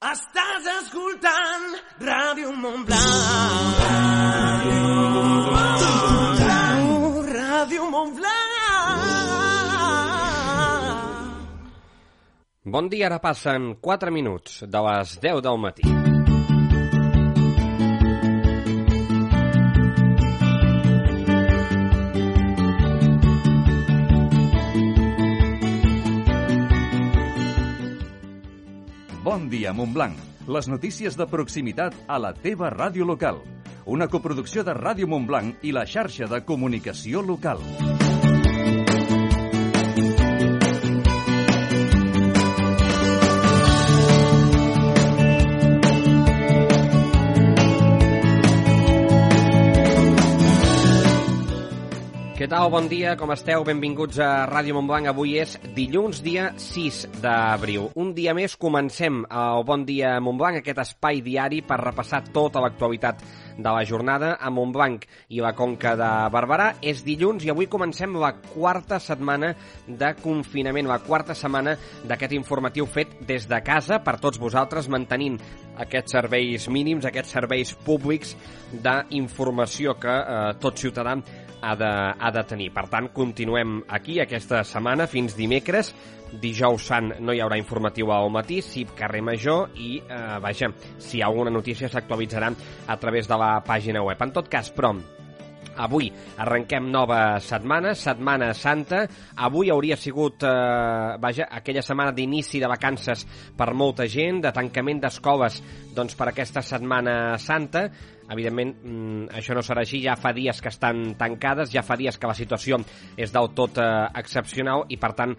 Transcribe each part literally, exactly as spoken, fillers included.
Estàs escoltant Ràdio Montblanc. Ràdio Montblanc. Ràdio Montblanc. Bon dia, ara passen quatre minuts de les deu del matí. Bon dia, Montblanc. Les notícies de proximitat a la teva ràdio local. Una coproducció de Ràdio Montblanc i la xarxa de comunicació local. Què tal? Bon dia, com esteu? Benvinguts a Ràdio Montblanc. Avui és dilluns, dia sis d'abril. Un dia més comencem el Bon Dia Montblanc, aquest espai diari per repassar tota l'actualitat de la jornada a Montblanc i la Conca de Barberà. És dilluns i avui comencem la quarta setmana de confinament, la quarta setmana d'aquest informatiu fet des de casa per tots vosaltres, mantenint aquests serveis mínims, aquests serveis públics d'informació que eh, tot ciutadà ha de, ha de tenir. Per tant, continuem aquí aquesta setmana fins dimecres. Dijous sant no hi haurà informatiu al matí, sí carrer Major i, eh, vaja, si hi ha alguna notícia s'actualitzarà a través de la pàgina web. En tot cas, però, avui arrenquem nova setmana, Setmana Santa. Avui hauria sigut, eh, vaja, aquella setmana d'inici de vacances per molta gent, de tancament d'escoles, doncs per aquesta Setmana Santa. Evidentment, això no serà així, ja fa dies que estan tancades, ja fa dies que la situació és del tot eh, excepcional i, per tant,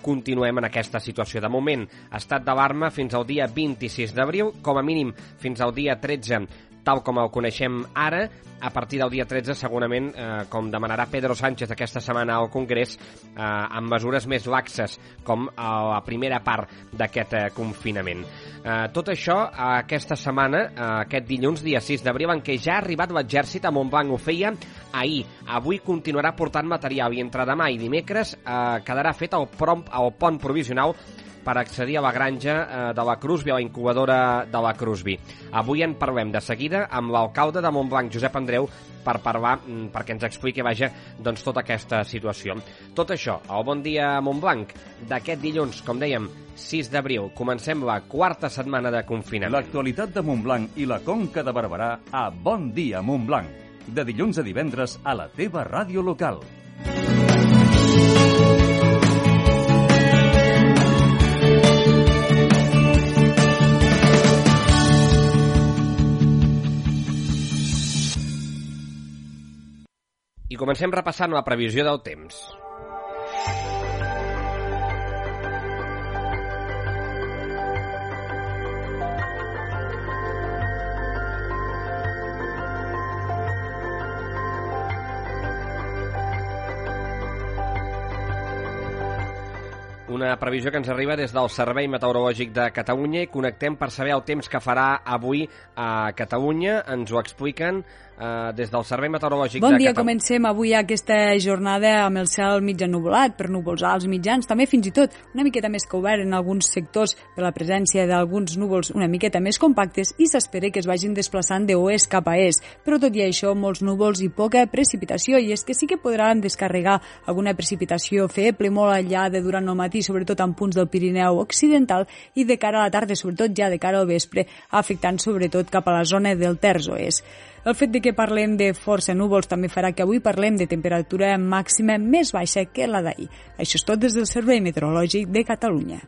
continuem en aquesta situació. De moment, estat d'alarma fins al dia vint-i-sis d'abril, com a mínim fins al dia tretze, tal com el coneixem ara. A partir del dia tretze, segurament, eh, com demanarà Pedro Sánchez aquesta setmana al Congrés, eh, amb mesures més laxes, com a la primera part d'aquest eh, confinament. Eh, tot això, eh, aquesta setmana, eh, aquest dilluns, dia sis d'abril, en què ja ha arribat l'exèrcit a Montblanc, ho feia ahir. Avui continuarà portant material i entre demà i dimecres eh, quedarà fet el, prom, el pont provisional per accedir a la granja eh, de la Crusby, a la incubadora de la Crusby. Avui en parlem de seguida amb l'alcalde de Montblanc, Josep Andreu, per parlar, perquè ens expliqui, vaja, doncs tota aquesta situació. Tot això, al Bon Dia Montblanc, d'aquest dilluns, com dèiem, sis d'abril. Comencem la quarta setmana de confinament. L'actualitat de Montblanc i la Conca de Barberà a Bon Dia Montblanc. De dilluns a divendres a la teva ràdio local. I comencem repassant la previsió del temps. Una previsió que ens arriba des del Servei Meteorològic de Catalunya i connectem per saber el temps que farà avui a Catalunya. Ens ho expliquen eh, des del Servei Meteorològic bon de dia, Catalunya. Comencem avui aquesta jornada amb el cel mig ennuvolat, per núvols alts mitjans, també fins i tot una miqueta més que obert en alguns sectors per la presència d'alguns núvols una miqueta més compactes i s'espera que es vagin desplaçant de oest cap a est. Però tot i això, molts núvols i poca precipitació, i és que sí que podran descarregar alguna precipitació feble molt allà de durant el matí, sobretot en punts del Pirineu occidental, i de cara a la tarda, sobretot ja de cara al vespre, afectant sobretot cap a la zona del terç oest. El fet de que parlem de força núvols també farà que avui parlem de temperatura màxima més baixa que la d'ahir. Això és tot des del Servei Meteorològic de Catalunya.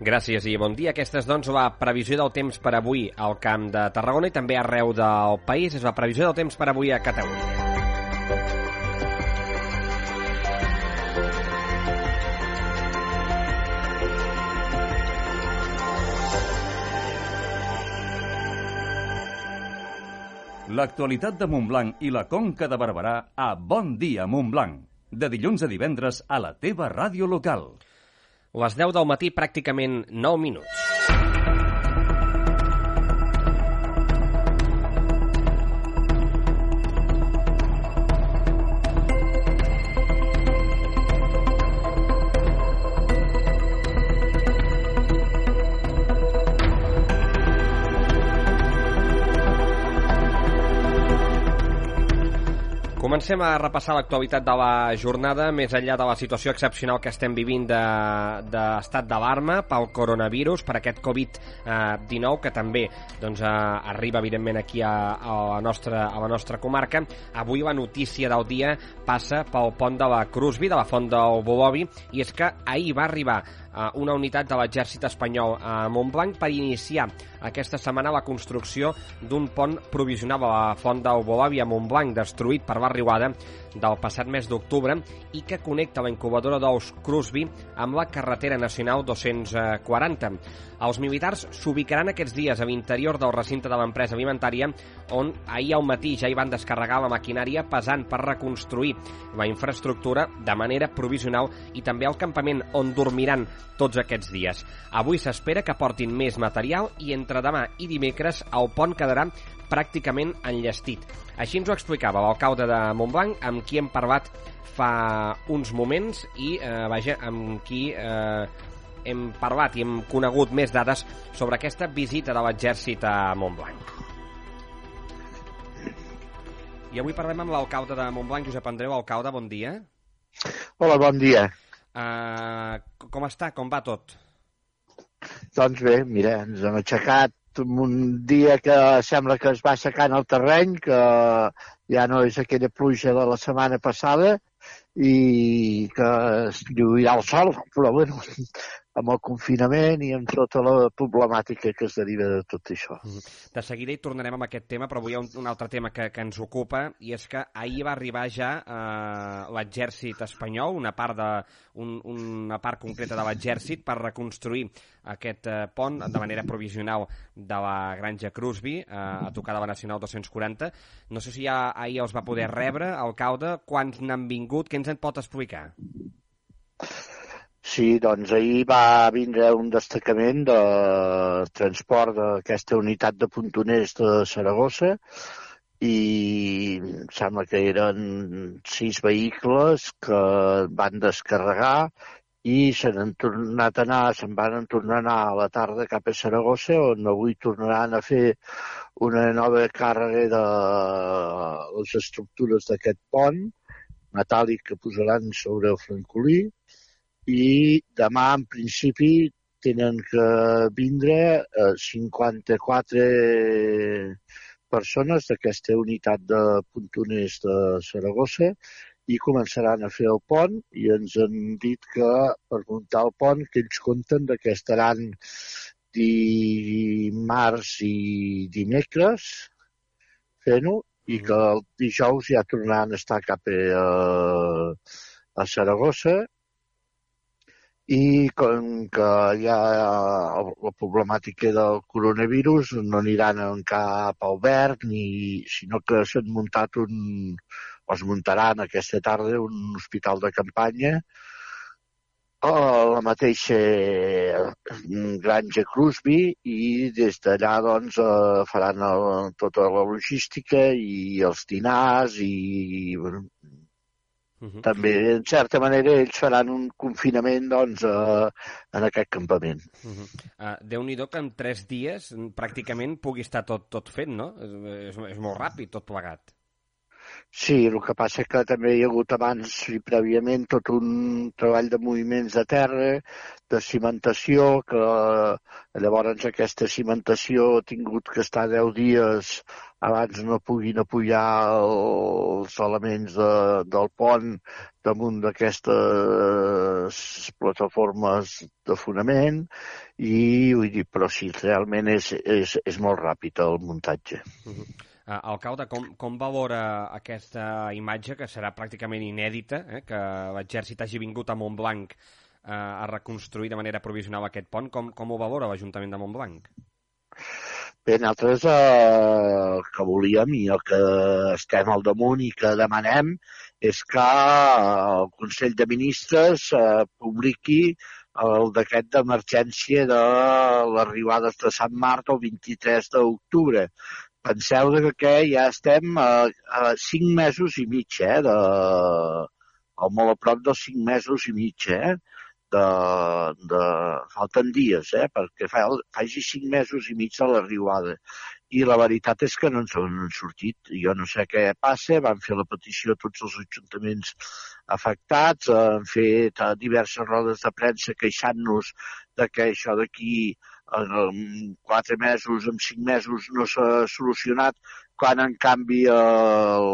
Gràcies i bon dia. Aquesta és, doncs, la previsió del temps per avui al Camp de Tarragona i també arreu del país. És la previsió del temps per avui a Catalunya. L'actualitat de Montblanc i la Conca de Barberà a Bon Dia Montblanc. De dilluns a divendres a la teva ràdio local. Les deu del matí, pràcticament nou minuts. Comencem a repassar l'actualitat de la jornada, més enllà de la situació excepcional que estem vivint d'estat de, d'alarma pel coronavirus, per aquest covid dinou, que també doncs, arriba, evidentment, aquí a, a, la nostra, a la nostra comarca. Avui la notícia del dia passa pel pont de la Crusby, de la Font del Bolovi, i és que ahir va arribar una unitat de l'exèrcit espanyol a Montblanc per iniciar aquesta setmana la construcció d'un pont provisional a la Font del Bolovi a Montblanc, destruït per la riuada del passat mes d'octubre i que connecta la incubadora d'ous Crusby amb la carretera nacional dos-cents quaranta. Els militars s'ubicaran aquests dies a l'interior del recinte de l'empresa alimentària, on ahir al matí ja hi van descarregar la maquinària pesant per reconstruir la infraestructura de manera provisional i també el campament on dormiran tots aquests dies. Avui s'espera que portin més material i entre demà i dimecres el pont quedarà pràcticament enllestit. Així ens ho explicava l'alcalde de Montblanc, amb qui hem parlat fa uns moments i, eh, vaja, amb qui eh, hem parlat i hem conegut més dades sobre aquesta visita de l'exèrcit a Montblanc. I avui parlem amb l'alcalde de Montblanc, Josep Andreu. Alcalde, bon dia. Hola, bon dia. Uh, com està? Com va tot? Doncs bé, mira, ens hem aixecat un dia que sembla que es va aixecant el terreny, que ja no és aquella pluja de la setmana passada i que es lluirà el sol, però bueno, amb el confinament i amb tota la problemàtica que es deriva de tot això. De seguida hi tornarem amb aquest tema, però avui hi ha un, un altre tema que, que ens ocupa, i és que ahir va arribar ja eh, l'exèrcit espanyol, una part, de, un, una part concreta de l'exèrcit, per reconstruir aquest eh, pont de manera provisional de la Granja Crusby, eh, a tocar de la Nacional dos-cents quaranta. No sé si ja ahir els va poder rebre, alcalde, quants n'han vingut, què ens en pot explicar? Sí, doncs ahir va vindre un destacament de transport d'aquesta unitat de puntoners de Saragossa i em sembla que eren sis vehicles que van descarregar i se n'han tornat a anar, se'n van tornar a anar a la tarda cap a Saragossa, on avui tornaran a fer una nova càrrega de les estructures d'aquest pont metàl·lic que posaran sobre el francolí. I demà, en principi, tenen que vindre cinquanta-quatre persones d'aquesta unitat de puntoners de Saragossa i començaran a fer el pont, i ens han dit que per muntar el pont, que ells compten que estaran dimarts i dimecres fent-ho, i que el dijous ja tornaran a estar cap a, a Saragossa. I com que hi ha la problemàtica del coronavirus, no aniran en cap alberg, ni, sinó que s'han muntat un, o es muntaran aquesta tarda un hospital de campanya a la mateixa Granja Crusby, i des d'allà doncs, faran el, tota la logística i els dinars i... Bueno, Uh-huh. També, en certa manera, ells faran un confinament doncs, uh, en aquest campament. Uh-huh. uh, Déu-n'hi-do que en tres dies pràcticament pugui estar tot, tot fet, no? És, és molt ràpid tot plegat. Sí, el que passa que també hi ha hagut abans i prèviament tot un treball de moviments de terra, de cimentació, que llavors aquesta cimentació ha tingut que estar deu dies abans no puguin apujar els elements de, del pont damunt d'aquestes plataformes de fonament, i vull dir, però sí, realment és, és, és molt ràpid el muntatge. Uh-huh. Uh, alcalde, com, com valora aquesta imatge, que serà pràcticament inèdita, eh, que l'exèrcit hagi vingut a Montblanc uh, a reconstruir de manera provisional aquest pont? Com, com ho valora l'Ajuntament de Montblanc? Bé, nosaltres eh, el que volíem i el que estem al damunt i que demanem és que el Consell de Ministres eh, publiqui el decret d'emergència de les riuades de Sant Marc el vint-i-tres d'octubre. Penseu que ja estem a, a cinc mesos i mig, eh, de, o molt a prop dels cinc mesos i mig, eh, de, de, falten dies, eh, perquè fa, faci cinc mesos i mig de la riuada. i la veritat és que no ens han sortit. Jo no sé què passa, van fer la petició a tots els ajuntaments afectats, han fet diverses rodes de premsa queixant-nos de que això d'aquí en quatre mesos, en cinc mesos no s'ha solucionat, quan en canvi el,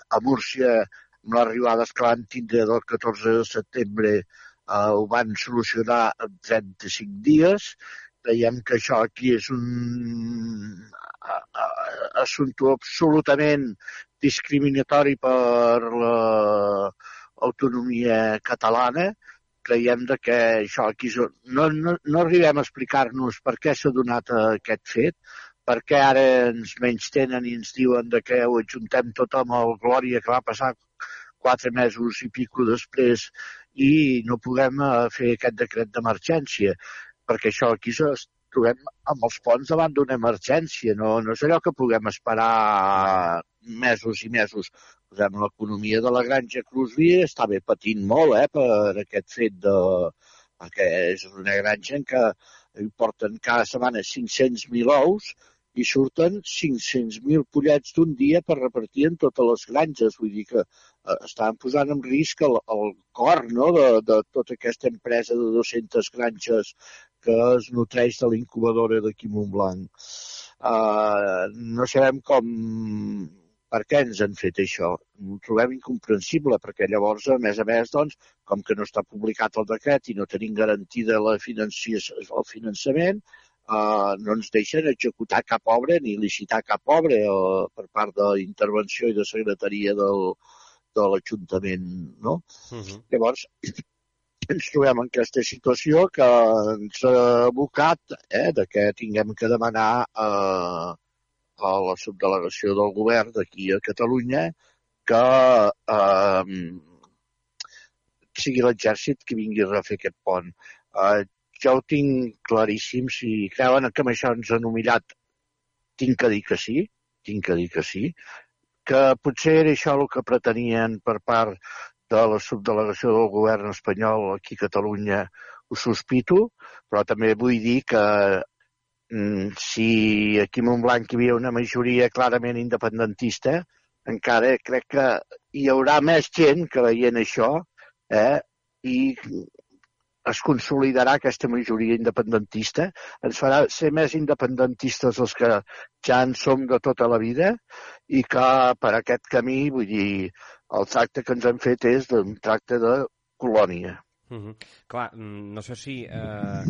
a Múrcia, amb les arribades que van tindre del catorze de setembre, eh, ho van solucionar en trenta-cinc dies. Veiem que això aquí és un assumpte absolutament discriminatori per l'autonomia catalana. Creiem que això aquí no, no, no arribem a explicar-nos per què s'ha donat aquest fet, perquè ara ens menystenen i ens diuen que ho ajuntem tot amb el Glòria que va passar quatre mesos i pico després i no puguem fer aquest decret d'emergència, perquè això aquí ens trobem amb els ponts davant d'una emergència, no, no és allò que puguem esperar mesos i mesos. L'economia de la granja Crosby està bé patint molt eh, per aquest fet de... perquè és una granja en què porten cada setmana cinc-cents mil ous i surten cinc-cents mil pollets d'un dia per repartir en totes les granges. Vull dir que eh, estan posant en risc el, el cor no, de, de tota aquesta empresa de dues-centes granges que es nutreix de l'incubadora d'aquí Montblanc. Uh, no sabem com... per què ens han fet això? Ho trobem incomprensible, perquè llavors, a més a més, doncs, com que no està publicat el decret i no tenim garantida la financi- el finançament, eh, no ens deixen executar cap obra ni licitar cap obra eh, per part d'intervenció i de secretaria del, de l'Ajuntament, no? Uh-huh. Llavors, ens trobem en aquesta situació que ens ha abocat eh, de que tinguem que demanar eh, a la subdelegació del govern d'aquí a Catalunya que eh, sigui l'exèrcit que vingui a refer aquest pont. Eh, jo ho tinc claríssim, si creuen que amb això ens han humillat, tinc que dir que sí, tinc que dir que sí, que potser era això el que pretenien per part de la subdelegació del govern espanyol aquí a Catalunya, ho sospito, però també vull dir que si aquí a Montblanc hi havia una majoria clarament independentista, encara crec que hi haurà més gent que veient això eh, i es consolidarà aquesta majoria independentista. Ens farà ser més independentistes els que ja en som de tota la vida i que per aquest camí, vull dir, el tracte que ens han fet és un tracte de colònia. Uh-huh. Clar, no sé si eh,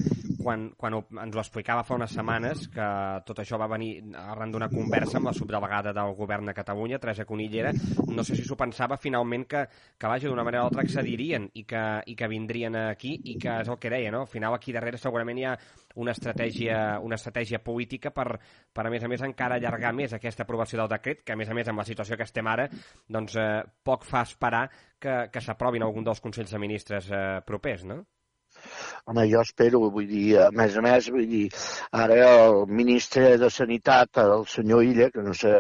quan, quan ho, ens ho explicava fa unes setmanes que tot això va venir arran d'una conversa amb la subdelegada del govern de Catalunya, Teresa Conillera, no sé si s'ho pensava finalment que, que vaja, d'una manera o altra accedirien i que, i que vindrien aquí i que és el que deia, no? Al final aquí darrere segurament hi ha una estratègia, una estratègia política per, per a més a més encara allargar més aquesta aprovació del decret, que a més a més amb la situació que estem ara, doncs eh, poc fa esperar que, que s'aprovin algun dels Consells de Ministres eh, propers, no? Home, jo espero, vull dir, a més a més, vull dir, ara el ministre de Sanitat, el senyor Illa, que no sé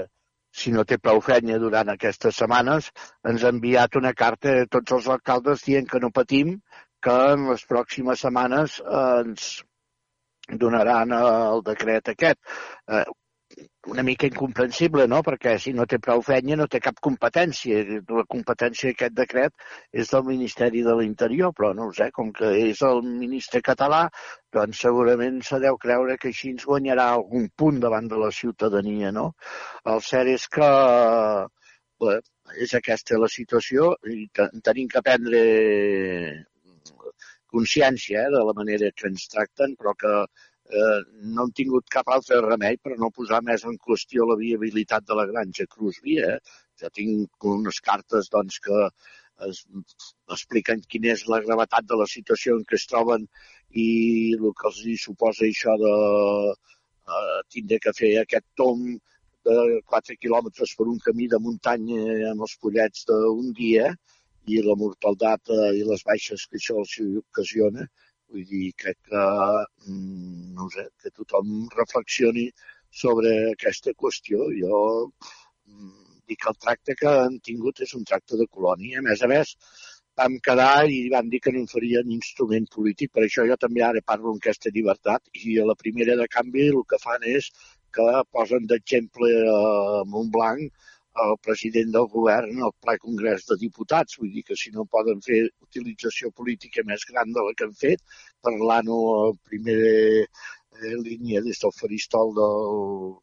si no té prou feina durant aquestes setmanes, ens ha enviat una carta a tots els alcaldes dient que no patim, que en les pròximes setmanes eh, ens donaran el decret aquest. Eh, una mica incomprensible, no? Perquè si no té prou feina no té cap competència. La competència d'aquest decret és del Ministeri de l'Interior, però no ho sé, com que és el ministre català, doncs segurament se deu creure que així ens guanyarà algun punt davant de la ciutadania, no? El cert és que bé, és aquesta la situació i tenim que prendre consciència eh, de la manera que ens tracten, però que eh, no hem tingut cap altre remei per no posar més en qüestió la viabilitat de la granja Crosby. Eh? Jo tinc unes cartes doncs, que es, expliquen quina és la gravetat de la situació en què es troben i el que els suposa això de eh, tindre que fer aquest tomb de quatre quilòmetres per un camí de muntanya amb els pollets d'un dia i la mortalitat eh, i les baixes que això els ocasiona. Vull dir, crec que, no sé, que tothom reflexioni sobre aquesta qüestió. Jo dic que el tracte que han tingut és un tracte de colònia. A més a més, vam quedar i van dir que no en farien instrument polític, per això jo també ara parlo en aquesta llibertat i a la primera de canvi el que fan és que posen d'exemple a Montblanc el president del govern al ple Congrés de Diputats. Vull dir que si no poden fer utilització política més gran de la que han fet, parlant-ho a primera eh, línia des del faristol del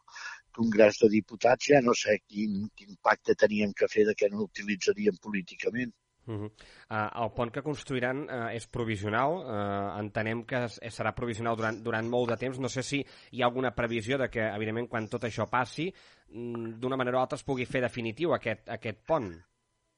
Congrés de Diputats, ja no sé quin, quin pacte teníem que fer de què no utilitzaríem políticament. Uh -huh. uh, el pont que construiran uh, és provisional, uh, entenem que es, serà provisional durant, durant molt de temps. No sé si hi ha alguna previsió de que, evidentment, quan tot això passi, d'una manera o altra es pugui fer definitiu aquest, aquest pont.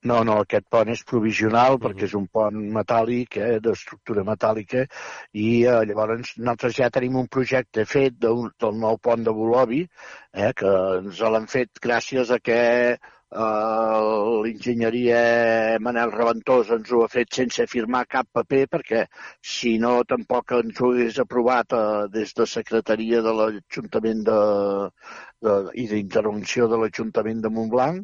No, no, aquest pont és provisional, uh-huh. perquè és un pont metàl·lic, eh, d'estructura metàl·lica, i eh, llavors nosaltres ja tenim un projecte fet d'un, del nou pont de Bolovi, eh, que ens l'han fet gràcies a que Uh, l'enginyeria Manel Reventós ens ho ha fet sense firmar cap paper, perquè si no tampoc ens ho hagués aprovat uh, des de Secretaria de l'Ajuntament de, de, i d'Intervenció de l'Ajuntament de Montblanc,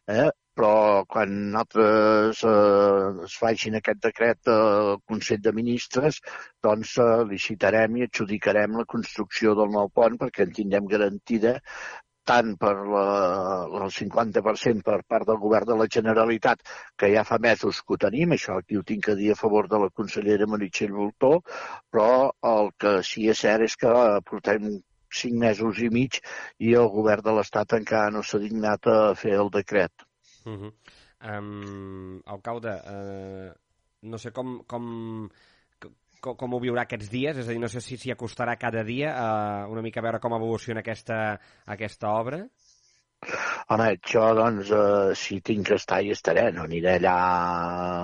eh? Però quan nosaltres eh, es facin aquest decret del Consell de Ministres, doncs eh, licitarem i adjudicarem la construcció del nou pont perquè en tindrem garantida tant per la, el cinquanta per cent per part del govern de la Generalitat, que ja fa mesos que ho tenim, això aquí ho tinc a dir a favor de la consellera Meritxell Voltó, però el que sí és cert és que portem cinc mesos i mig i el govern de l'Estat encara no s'ha dignat a fer el decret. Uh -huh. um, alcalde, uh, no sé com... com... Com, com ho viurà aquests dies, és a dir, no sé si s'hi acostarà cada dia a una mica a veure com evoluciona aquesta, aquesta obra. Home, jo, doncs, eh, si tinc que estar hi estaré, no aniré allà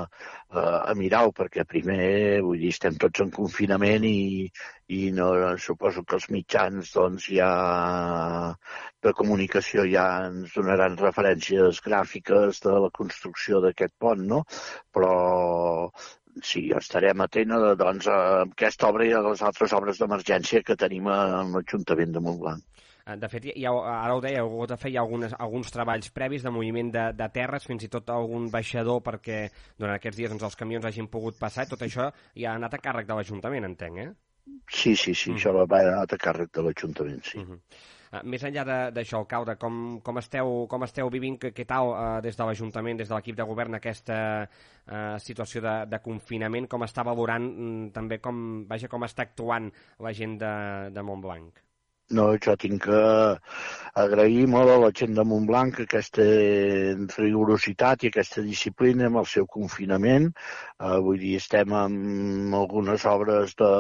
eh, a mirar-ho, perquè primer, vull dir, estem tots en confinament i, i no, suposo que els mitjans, doncs, ja de comunicació ja ens donaran referències gràfiques de la construcció d'aquest pont, no? Però sí, estarem atent doncs, a aquesta obra i a les altres obres d'emergència que tenim a l'Ajuntament de Montblanc. De fet, hi ha, ara ho deia, heu hagut de fer ja algunes, alguns treballs previs de moviment de, de terres, fins i tot algun baixador perquè durant aquests dies doncs, els camions hagin pogut passar, i tot això ja ha anat a càrrec de l'Ajuntament, entenc, eh? Sí, sí, sí, mm. això va anar a càrrec de l'Ajuntament, sí. Mm-hmm. Uh, més enllà d'això, alcalde, com, com, esteu, com esteu vivint, què tal uh, des de l'Ajuntament, des de l'equip de govern, aquesta uh, situació de, de confinament, com està valorant um, també, com, vaja, com està actuant la gent de, de Montblanc? No, jo tinc que agrair molt a la gent de Montblanc aquesta rigorositat i aquesta disciplina amb el seu confinament. Uh, vull dir, estem amb algunes obres de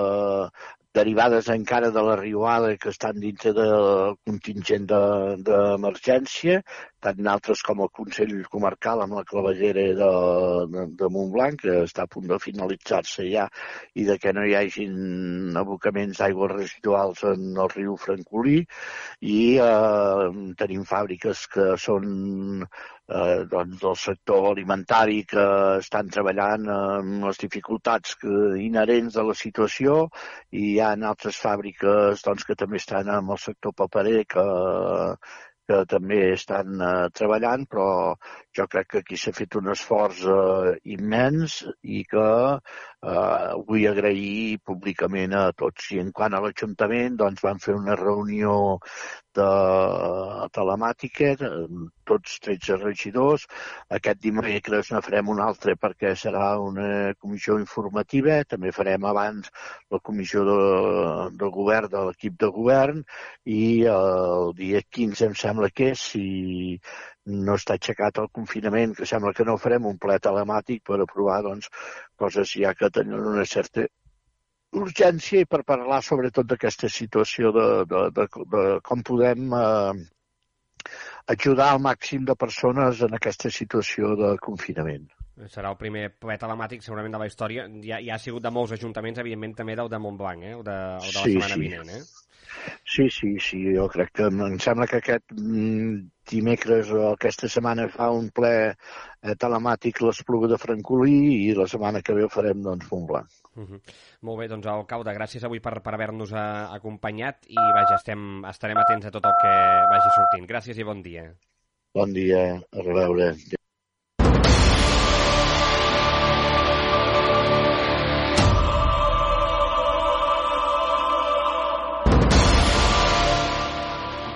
derivades encara de la riuada que estan dintre del contingent d'emergència, de, tant d'altres com el Consell Comarcal amb la clavellera de, de, de Montblanc, que està a punt de finalitzar-se ja, i de que no hi hagin abocaments d'aigües residuals en el riu Francolí, i eh, tenim fàbriques que són eh, doncs, del sector alimentari que estan treballant amb les dificultats que, inherents de la situació, i hi ha altres fàbriques doncs, que també estan amb el sector paperer que que també estan eh, treballant, però jo crec que aquí s'ha fet un esforç eh, immens i que eh, vull agrair públicament a tots. I en quant a l'Ajuntament, doncs vam fer una reunió de telemàtica, tots tretze regidors. Aquest dimecres ne farem una altra perquè serà una comissió informativa. També farem abans la comissió de, de govern, de l'equip de govern, i el dia quinze em sembla que és, si no està aixecat el confinament, que sembla que no farem un ple telemàtic per aprovar doncs, coses ja que tenen una certa urgència i per parlar sobretot d'aquesta situació de, de, de, de com podem eh, ajudar al màxim de persones en aquesta situació de confinament. Serà el primer ple telemàtic segurament de la història. Ja, ja ha sigut de molts ajuntaments, evidentment també del de Montblanc, eh? o de, o de la sí, setmana sí. vinent. Eh? Sí, sí, sí, jo crec que em sembla que aquest dimecres o aquesta setmana fa un ple eh, telemàtic l'Espluga de Francolí i la setmana que ve ho farem doncs Montblanc. Uh -huh. Molt bé, doncs alcalde, gràcies avui per, per haver-nos acompanyat i vaja, estem, estarem atents a tot el que vagi sortint. Gràcies i bon dia. Bon dia, a reveure.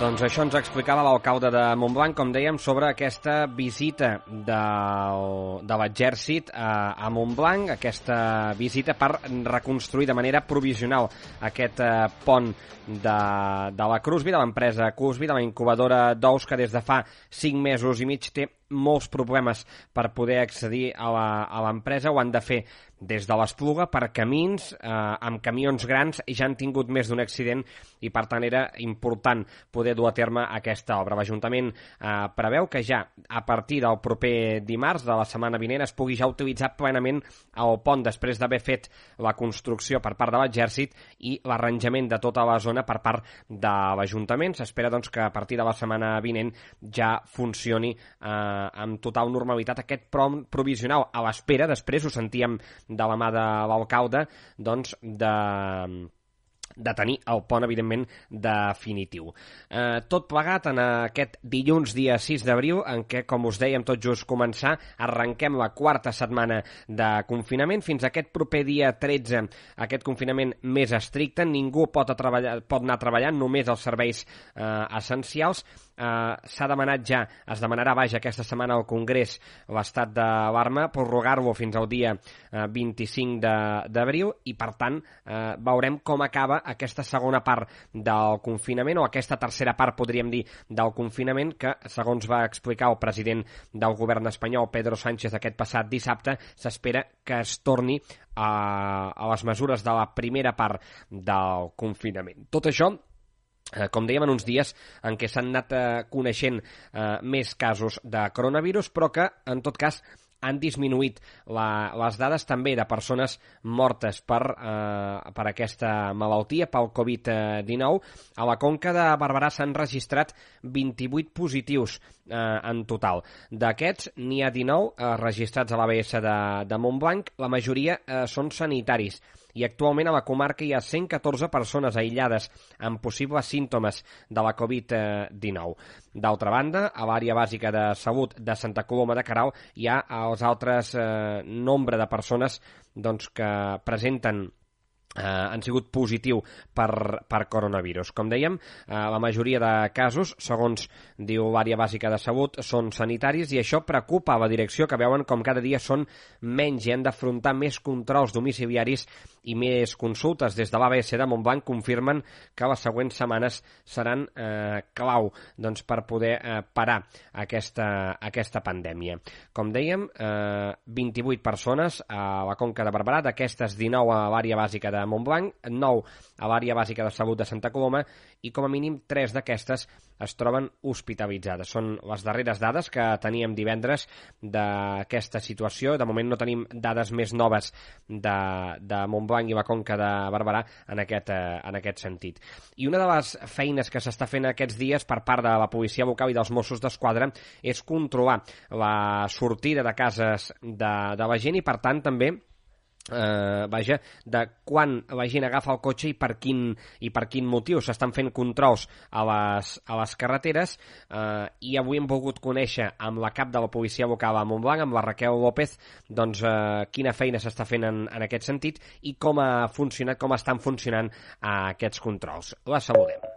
Doncs això ens explicava l'alcalde de Montblanc, com dèiem, sobre aquesta visita del, de l'exèrcit a, a Montblanc, aquesta visita per reconstruir de manera provisional aquest eh, pont de, de la Crosby, de l'empresa Crosby, de la incubadora d'ous, que des de fa cinc mesos i mig té molts problemes per poder accedir a l'empresa. Ho han de fer des de l'Espluga per camins, eh, amb camions grans, i ja han tingut més d'un accident i per tant era important poder dur a terme aquesta obra. L'Ajuntament eh, preveu que ja a partir del proper dimarts de la setmana vinent es pugui ja utilitzar plenament el pont després d'haver fet la construcció per part de l'Exèrcit i l'arranjament de tota la zona per part de l'Ajuntament. S'espera doncs que a partir de la setmana vinent ja funcioni eh, amb total normalitat aquest pont provisional, a l'espera, després ho sentíem de la mà de l'alcalde, doncs de... de tenir el pont, evidentment, definitiu. Eh, tot plegat en aquest dilluns, dia sis d'abril, en què, com us dèiem, tot just començar, arrenquem la quarta setmana de confinament. Fins a aquest proper dia tretze, aquest confinament més estricte. Ningú pot, a treballar, pot anar treballant, només els serveis eh, essencials. Uh, s'ha demanat ja, es demanarà, vaja, aquesta setmana al Congrés l'estat d'alarma, prorrogar-lo fins al dia uh, vint-i-cinc d'abril, i per tant uh, veurem com acaba aquesta segona part del confinament, o aquesta tercera part, podríem dir, del confinament, que, segons va explicar el president del govern espanyol, Pedro Sánchez, aquest passat dissabte, s'espera que es torni a, a les mesures de la primera part del confinament. Tot això, Eh, com dèiem, en uns dies en què s'han anat eh, coneixent eh, més casos de coronavirus, però que, en tot cas, han disminuït la, les dades també de persones mortes per, eh, per aquesta malaltia, pel covid dinou. A la Conca de Barberà s'han registrat vint-i-vuit positius eh, en total. D'aquests, n'hi ha dinou eh, registrats a l'A B S de, de Montblanc. La majoria eh, són sanitaris. I actualment a la comarca hi ha cent catorze persones aïllades amb possibles símptomes de la covid dinou. D'altra banda, a l'àrea bàsica de salut de Santa Coloma de Queralt hi ha els altres eh, nombre de persones doncs, que presenten Uh, han sigut positiu per, per coronavirus. Com dèiem, uh, la majoria de casos, segons diu l'àrea bàsica de salut, són sanitaris, i això preocupa a la direcció, que veuen com cada dia són menys i han d'afrontar més controls domiciliaris i més consultes. Des de l'A B S de Montblanc confirmen que les següents setmanes seran uh, clau doncs, per poder uh, parar aquesta, aquesta pandèmia. Com dèiem, uh, vint-i-vuit persones a la Conca de Barberà, d'aquestes dinou a l'àrea bàsica de Montblanc, nou a l'àrea bàsica de salut de Santa Coloma, i com a mínim tres d'aquestes es troben hospitalitzades. Són les darreres dades que teníem divendres d'aquesta situació. De moment no tenim dades més noves de, de Montblanc i la Conca de Barberà en aquest, eh, en aquest sentit. I una de les feines que s'està fent aquests dies per part de la policia local i dels Mossos d'Esquadra és controlar la sortida de cases de, de la gent, i per tant també Eh, vaja, de quan la gent agafa el cotxe i per quin, i per quin motiu. S'estan fent controls a les, a les carreteres, eh, i avui hem volgut conèixer amb la cap de la policia local a Montblanc, amb la Raquel López, doncs eh, quina feina s'està fent en, en aquest sentit i com ha funcionat, com estan funcionant eh, aquests controls. La saludem.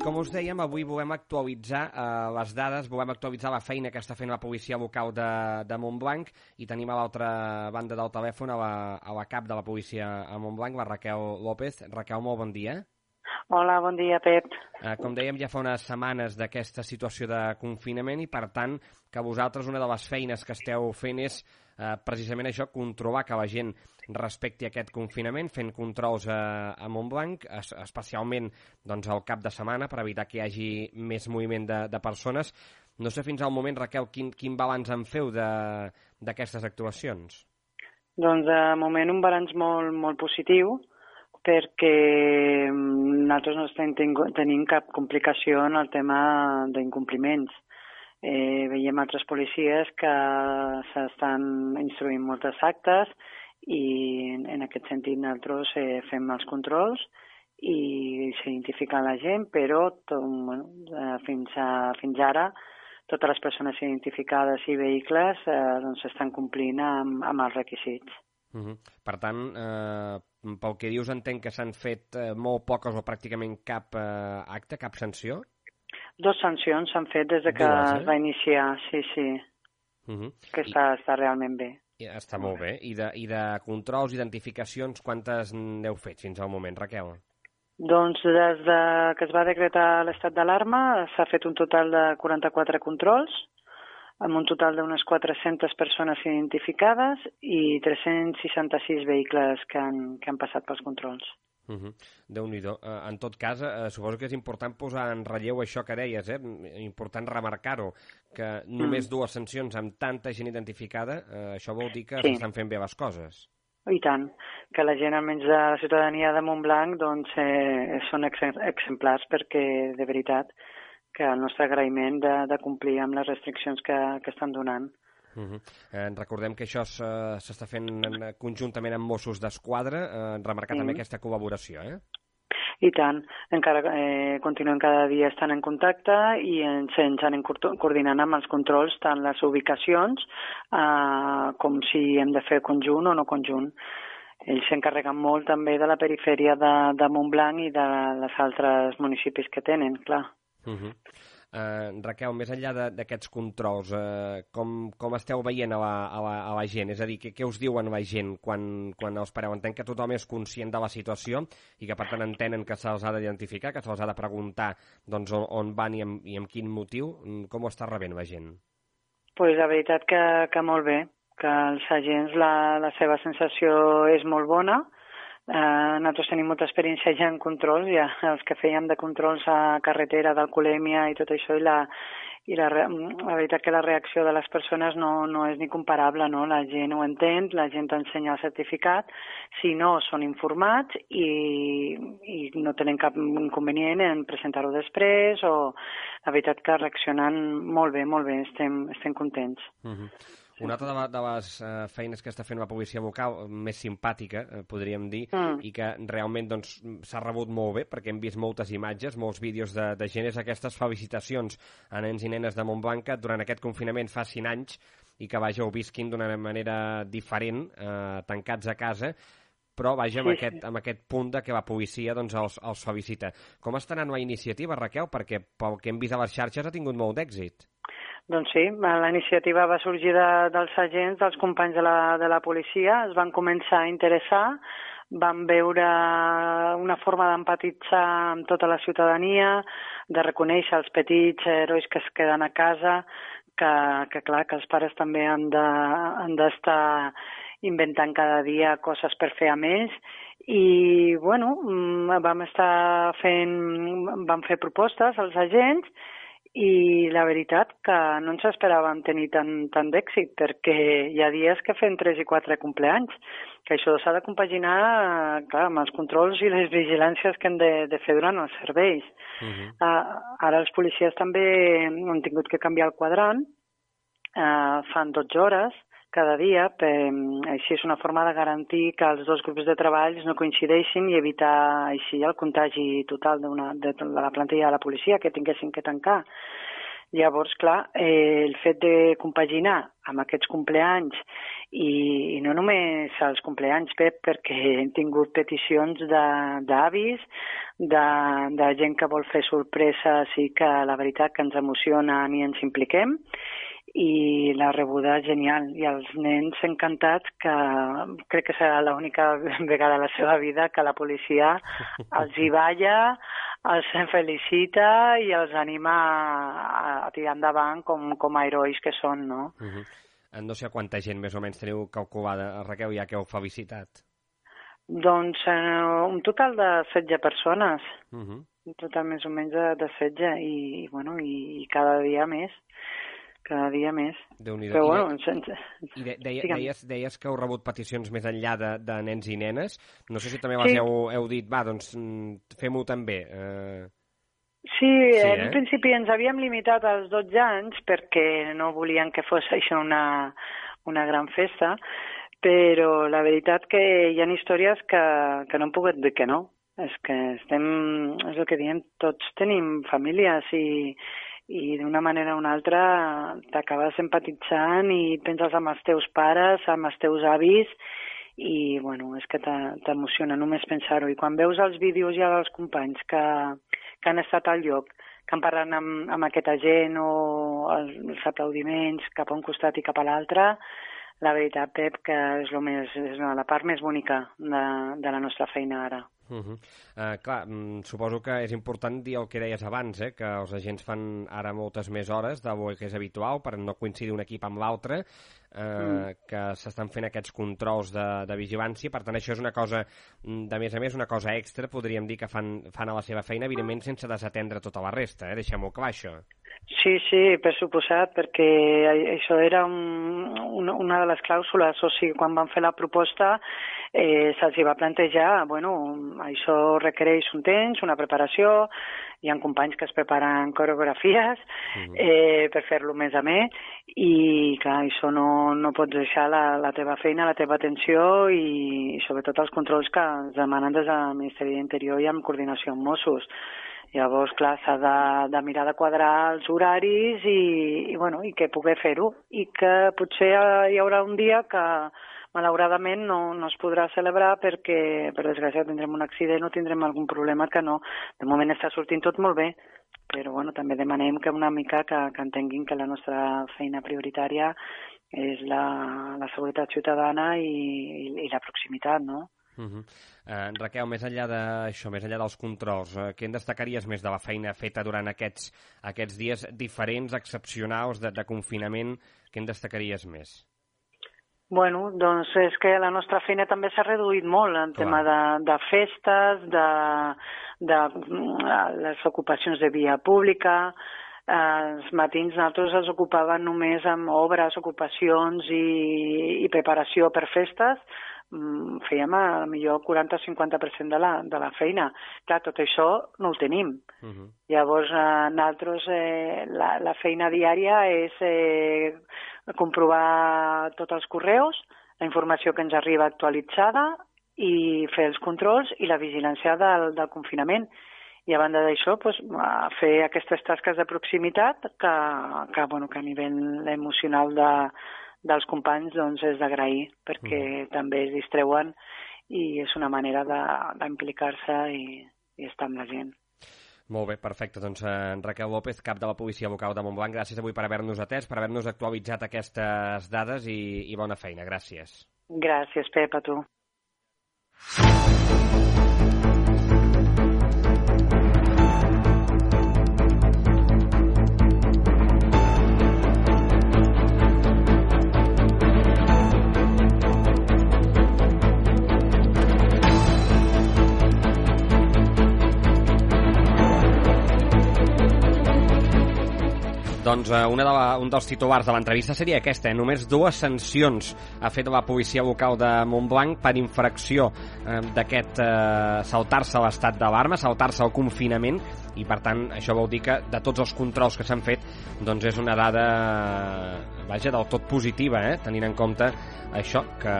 Com us dèiem, avui volem actualitzar eh, les dades, volem actualitzar la feina que està fent la policia local de, de Montblanc, i tenim a l'altra banda del telèfon a la, a la cap de la policia a Montblanc, la Raquel López. Raquel, molt bon dia. Hola, bon dia, Pep. Eh, com dèiem, ja fa unes setmanes d'aquesta situació de confinament, i per tant que vosaltres una de les feines que esteu fent és eh, precisament això, controlar que la gent respecti aquest confinament, fent controls a, a Montblanc, es, especialment doncs, al cap de setmana, per evitar que hi hagi més moviment de, de persones. No sé fins al moment, Raquel, quin, quin balanç en feu d'aquestes actuacions? Doncs de moment un balanç molt, molt positiu, perquè nosaltres no estem tenint cap complicació en el tema d'incompliments. Eh, veiem altres policies que s'estan instruint moltes actes, i en aquest sentit nosaltres eh, fem els controls i s'identifica la gent, però tot, bueno, fins, a, fins ara totes les persones identificades i vehicles eh, doncs estan complint amb, amb els requisits. Uh-huh. Per tant, eh, pel que dius, entenc que s'han fet eh, molt poques o pràcticament cap eh, acte, cap sanció? Dos sancions s'han fet des de que Dues, eh? es va iniciar, sí, sí, Uh-huh. que està, I... està realment bé. I està molt bé. I de, i de controls, identificacions, quantes n'heu fet fins al moment, Raquel? Doncs des de que es va decretar l'estat d'alarma s'ha fet un total de quaranta-quatre controls, amb un total d'unes quatre-centes persones identificades i tres-cents seixanta-sis vehicles que han, que han passat pels controls. Uh-huh. Déu-n'hi-do. Uh, en tot cas, uh, suposo que és important posar en relleu això que deies, eh? Important remarcar-ho, que només mm. dues sancions amb tanta gent identificada, uh, això vol dir que sí. s'estan fent bé les coses. I tant, que la gent, almenys de la ciutadania de Montblanc, doncs, eh, són ex exemplars perquè, de veritat, que el nostre agraïment de, de complir amb les restriccions que, que estan donant. Uh-huh. eh, recordem que això s'està fent conjuntament amb Mossos d'Esquadra, eh, remarcar mm. també aquesta col·laboració, eh? I tant, encara eh, continuem cada dia estant en contacte i ens, ens anem coordinant amb els controls, tant les ubicacions eh, com si hem de fer conjunt o no conjunt. Ells s'encarreguen molt també de la perifèria de, de Montblanc i de les altres municipis que tenen, clar. Uh-huh. Uh, Raquel, més enllà d'aquests controls, uh, com, com esteu veient a la, a, la, a la gent? És a dir, què, què us diuen la gent quan, quan els pareu? Entenc que tothom és conscient de la situació i que per tant entenen que se'ls ha d'identificar, que se'ls ha de preguntar doncs, on, on van i amb, i amb quin motiu. Com ho està rebent la gent? Pues la veritat que, que molt bé, que els agents la, la seva sensació és molt bona. Uh, nosaltres tenim molta experiència ja en controls, ja els que fèiem de controls a carretera, d'alcoholèmia i tot això, i la, i la, la veritat que la reacció de les persones no, no és ni comparable, no? La gent ho entén, la gent ensenya el certificat, si no són informats i, i no tenen cap inconvenient en presentar-ho després, o la veritat que reaccionen molt bé, molt bé, estem, estem contents. Uh-huh. Una altra de les uh, feines que està fent la policia local, més simpàtica, uh, podríem dir, mm. i que realment doncs, s'ha rebut molt bé, perquè hem vist moltes imatges, molts vídeos de, de gent, és aquestes felicitacions a nens i nenes de Montblanc que durant aquest confinament fa cinc anys i que, vaja, ho visquin d'una manera diferent, uh, tancats a casa, però, vaja, amb, sí, aquest, sí. amb aquest punt de que la policia doncs, els, els felicita. Com està anant la iniciativa, Raquel? Perquè pel que hem vist a les xarxes ha tingut molt d'èxit. Doncs sí, la iniciativa va sorgir de, dels agents, dels companys de la, de la policia, es van començar a interessar, van veure una forma d'empatitzar amb tota la ciutadania, de reconèixer els petits herois que es queden a casa, que, que clar, que els pares també han de, han d'estar inventant cada dia coses per fer a més, i bueno, vam estar fent, vam fer propostes als agents, i la veritat que no ens esperàvem tenir tant, tant d'èxit, perquè hi ha dies que fem tres i quatre compleanys, que això s'ha de compaginar clar, amb els controls i les vigilàncies que hem de, de fer durant els serveis. Uh-huh. uh, ara els policies també han tingut que canviar el quadrant, uh, fan dotze hores cada dia, per, així és una forma de garantir que els dos grups de treball no coincideixin i evitar així el contagi total d'una, de, de la plantilla de la policia que tinguessin que tancar. Llavors, clar, eh, el fet de compaginar amb aquests compleanys i, i no només els compleanys, Pep, perquè hem tingut peticions d'avis, de, de, de gent que vol fer sorpreses i que la veritat que ens emocionen i ens impliquem, i la rebuda és genial, i els nens encantats, que crec que serà l'única vegada a la seva vida que la policia els hi balla, els felicita i els anima a tirar endavant com, com a herois que són, no? Uh-huh. No sé quanta gent més o menys teniu calculada, Raquel, ja que heu felicitat. Doncs eh, un total de setze persones, uh-huh. un total més o menys de, de setze, i, bueno, i, i cada dia més. Cada dia més. Déu-n'hi-do. Però, I, bueno, sense... I de, deia, deies, deies que heu rebut peticions més enllà de, de nens i nenes. No sé si també les sí. heu, heu dit, va, doncs fem-ho també. Uh... Sí, sí eh? en principi ens havíem limitat als dotze anys perquè no volien que fos això una, una gran festa, però la veritat que hi ha històries que, que no hem pogut dir que no. És que estem, és el que diem, tots tenim famílies i i d'una manera o una altra t'acabes empatitzant i penses amb els teus pares, amb els teus avis, i bueno, és que t'emociona només pensar-ho. I quan veus els vídeos ja dels companys que, que han estat al lloc, que han parlat amb, amb aquesta gent o els, els aplaudiments cap a un costat i cap a l'altre, la veritat, Pep, que és, lo més, és la part més bonica de, de la nostra feina ara. Uh -huh. uh, clar, suposo que és important dir el que deies abans, eh? Que els agents fan ara moltes més hores del que és habitual per no coincidir un equip amb l'altre, uh, mm. que s'estan fent aquests controls de, de vigilància. Per tant, això és una cosa, de més a més, una cosa extra, podríem dir, que fan, fan a la seva feina, evidentment sense desatendre tota la resta, eh? Deixem-ho clar, això. Sí, sí, per suposat, perquè això era un, una, una de les clàusules, o sigui, quan van fer la proposta eh, se'ls va plantejar, bueno, això requereix un temps, una preparació, hi ha companys que es preparen coreografies mm. eh, per fer-lo més a més, i clar, això no, no pots deixar la, la teva feina, la teva atenció i, i sobretot els controls que ens demanen des del Ministeri d'Interior i amb coordinació amb Mossos. Llavors, clar, s'ha de, de mirar de quadrar els horaris i, i, bueno, i que poder fer-ho. I que potser hi haurà un dia que, malauradament, no, no es podrà celebrar perquè, per desgràcia, tindrem un accident o tindrem algun problema que no. De moment està sortint tot molt bé, però bueno, també demanem que una mica que, que entenguin que la nostra feina prioritària és la, la seguretat ciutadana i, i, i la proximitat, no? Uh -huh. uh, Raquel, més enllà d'això, més enllà dels controls, uh, què en destacaries més de la feina feta durant aquests, aquests dies diferents, excepcionals, de, de confinament? Què en destacaries més? Bueno, doncs és que la nostra feina també s'ha reduït molt en Clar. tema de, de festes, de, de les ocupacions de via pública. Eh, els matins nosaltres ens ocupàvem només amb obres, ocupacions i, i preparació per festes. Fèiem a millor quaranta o cinquanta per cent de la, de la feina. Clar, tot això no ho tenim. Uh -huh. Llavors, eh, nosaltres, eh, la, la feina diària és eh, comprovar tots els correus, la informació que ens arriba actualitzada i fer els controls i la vigilància del, del confinament. I a banda d'això, pues, fer aquestes tasques de proximitat que, que, bueno, que a nivell emocional de dels companys doncs és d'agrair, perquè mm. també es distreuen i és una manera d'implicar-se i, i estar amb la gent. Molt bé, perfecte. Doncs eh, Raquel López, cap de la Policia Local de Montblanc, gràcies avui per haver-nos atès, per haver-nos actualitzat aquestes dades i, i bona feina. Gràcies. Gràcies, Pep, a tu. Doncs eh, una de la, un dels titulars de l'entrevista seria aquesta, eh? Només dues sancions ha fet la policia local de Montblanc per infracció eh, d'aquest eh, saltar-se l'estat d'alarma, saltar-se el confinament, i per tant això vol dir que de tots els controls que s'han fet doncs és una dada vaja, del tot positiva, eh? Tenint en compte això, que,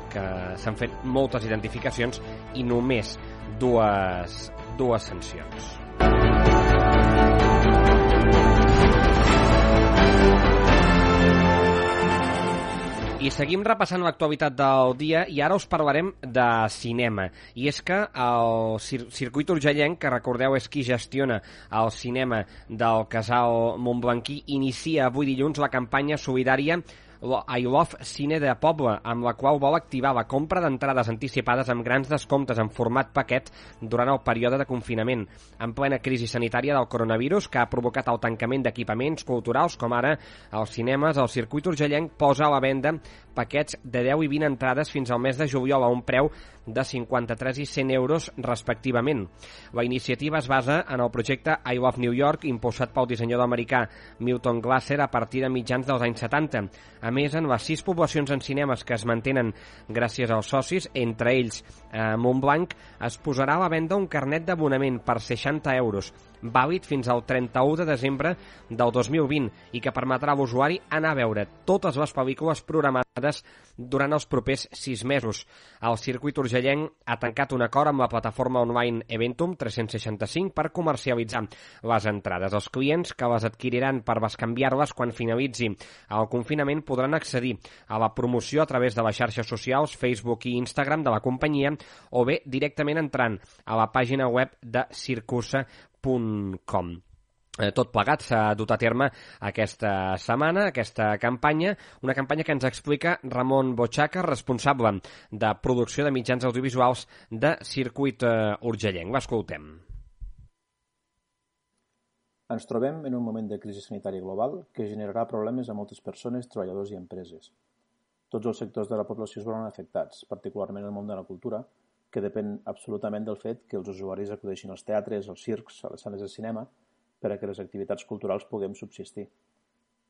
que s'han fet moltes identificacions i només dues, dues sancions. I seguim repassant l'actualitat del dia i ara us parlarem de cinema. I és que el Cir Circuit Urgellenc, que recordeu és qui gestiona el cinema del Casal Montblanquí, inicia avui dilluns la campanya solidària I Love Cine de Poble, amb la qual vol activar la compra d'entrades anticipades amb grans descomptes en format paquet durant el període de confinament, en plena crisi sanitària del coronavirus que ha provocat el tancament d'equipaments culturals com ara els cinemes. El Circuit Urgellenc posa a la venda paquets de deu i vint entrades fins al mes de juliol a un preu de cinquanta-tres i cent euros respectivament. La iniciativa es basa en el projecte I Love New York, impulsat pel dissenyador americà Milton Glaser a partir de mitjans dels anys setanta. A més, en les sis poblacions en cinemes que es mantenen gràcies als socis, entre ells eh, Montblanc, es posarà a la venda un carnet d'abonament per seixanta euros, vàlid fins al trenta-u de desembre del dos mil vint i que permetrà a l'usuari anar a veure totes les pel·lícules programades durant els propers sis mesos. El circuit urgellenc ha tancat un acord amb la plataforma online Eventum tres-cents seixanta-cinc per comercialitzar les entrades. Els clients que les adquiriran per bescanviar-les quan finalitzi el confinament podran accedir a la promoció a través de les xarxes socials, Facebook i Instagram de la companyia o bé directament entrant a la pàgina web de circusa punt com. Tot plegat s'ha dut a terme aquesta setmana, aquesta campanya, una campanya que ens explica Ramon Bochaca, responsable de producció de mitjans audiovisuals de Circuit Urgellenc. L'escoltem. Ens trobem en un moment de crisi sanitària global que generarà problemes a moltes persones, treballadors i empreses. Tots els sectors de la població es veuran afectats, particularment el món de la cultura, que depèn absolutament del fet que els usuaris acudeixin als teatres, als circs, a les sales de cinema, per a que les activitats culturals puguem subsistir.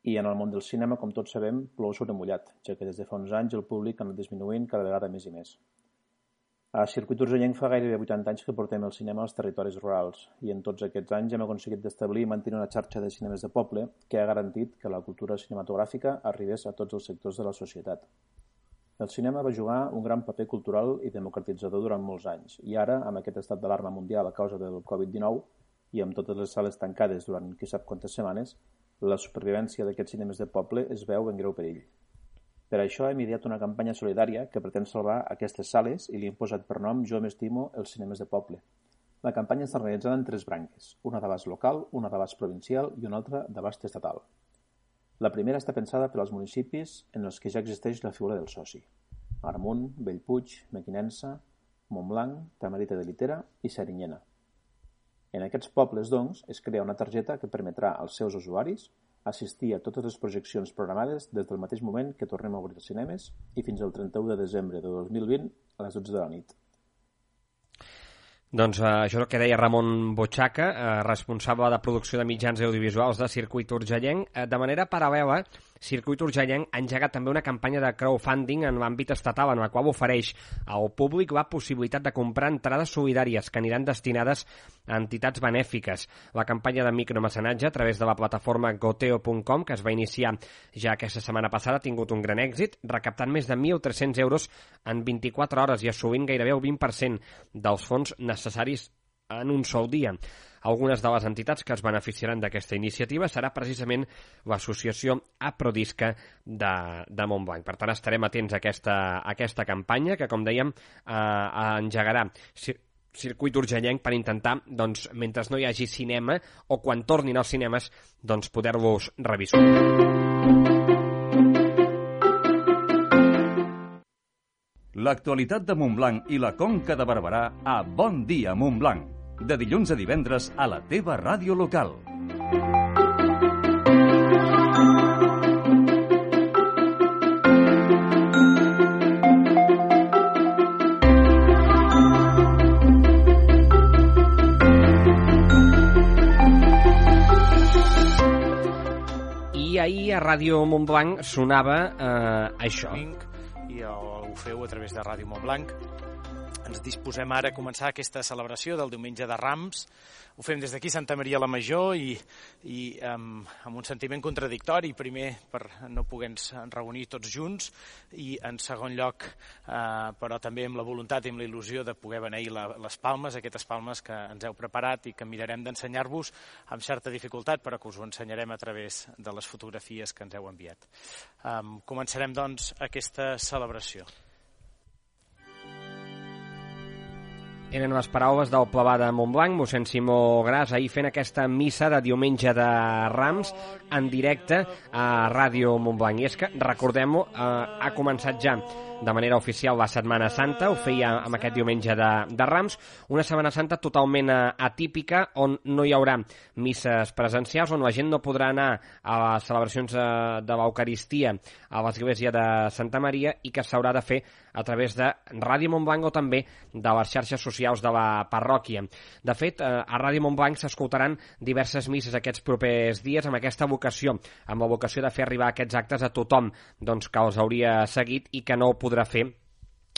I en el món del cinema, com tots sabem, plou sobre mullat, ja que des de fa uns anys el públic ha anat disminuint cada vegada més i més. A Circuit Urgellenc fa gairebé vuitanta anys que portem el cinema als territoris rurals i en tots aquests anys hem aconseguit d'establir i mantenir una xarxa de cinemes de poble que ha garantit que la cultura cinematogràfica arribés a tots els sectors de la societat. El cinema va jugar un gran paper cultural i democratitzador durant molts anys i ara, amb aquest estat d'alarma mundial a causa del covid dinou i amb totes les sales tancades durant qui sap quantes setmanes, la supervivència d'aquests cinemes de poble es veu en greu perill. Per això hem ideat una campanya solidària que pretén salvar aquestes sales i li hem posat per nom Jo m'estimo els cinemes de poble. La campanya està realitzada en tres branques, una d'abast local, una d'abast provincial i una altra d'abast estatal. La primera està pensada per als municipis en els que ja existeix la figura del soci. Agramunt, Bellpuig, Mequinensa, Montblanc, Tamarita de Litera i Serinyena. En aquests pobles, doncs, es crea una targeta que permetrà als seus usuaris assistir a totes les projeccions programades des del mateix moment que tornem a obrir els cinemes i fins al trenta-u de desembre de dos mil vint a les dotze de la nit. Doncs eh, això és el que deia Ramon Bochaca, eh, responsable de producció de mitjans audiovisuals de Circuit Urgellenc. Eh, de manera paral·lela, Circuit Urgellenc ha engegat també una campanya de crowdfunding en l'àmbit estatal en la qual ofereix al públic la possibilitat de comprar entrades solidàries que aniran destinades a entitats benèfiques. La campanya de micromecenatge a través de la plataforma goteo punt com, que es va iniciar ja aquesta setmana passada, ha tingut un gran èxit, recaptant més de mil tres-cents euros en vint-i-quatre hores i assolint gairebé el vint per cent dels fons necessaris en un sol dia. Algunes de les entitats que es beneficiaran d'aquesta iniciativa serà precisament l'associació Aprodisca de, de Montblanc. Per tant, estarem atents a aquesta, a aquesta campanya que, com dèiem, eh, engegarà Circuit Urgellenc per intentar, doncs, mentre no hi hagi cinema o quan tornin als cinemes, doncs, poder-los revisar. L'actualitat de Montblanc i la Conca de Barberà a Bon Dia Montblanc. De dilluns a divendres a la teva ràdio local. I ahir a Ràdio Montblanc sonava eh, això. I ho feu a través de Ràdio Montblanc. Ens disposem ara a començar aquesta celebració del diumenge de Rams. Ho fem des d'aquí, Santa Maria la Major, i, i um, amb un sentiment contradictori. Primer, per no poder-nos reunir tots junts, i en segon lloc, eh, però també amb la voluntat i amb la il·lusió de poder beneir la, les palmes, aquestes palmes que ens heu preparat i que mirarem d'ensenyar-vos amb certa dificultat, però que us ho ensenyarem a través de les fotografies que ens heu enviat. Um, començarem, doncs, aquesta celebració. Eren les paraules del plebà de Montblanc, mossèn Simó Gras, ahir fent aquesta missa de diumenge de Rams en directe a Ràdio Montblanc. I és que, recordem-ho, eh, ha començat ja de manera oficial la Setmana Santa, ho feia amb aquest diumenge de, de Rams, una Setmana Santa totalment atípica, on no hi haurà misses presencials, on la gent no podrà anar a les celebracions de l'Eucaristia a l'església de Santa Maria i que s'haurà de fer a través de Ràdio Montblanc o també de les xarxes socials de la parròquia. De fet, a Ràdio Montblanc s'escoltaran diverses misses aquests propers dies amb aquesta vocació, amb la vocació de fer arribar aquests actes a tothom doncs, que els hauria seguit i que no ho podrà fer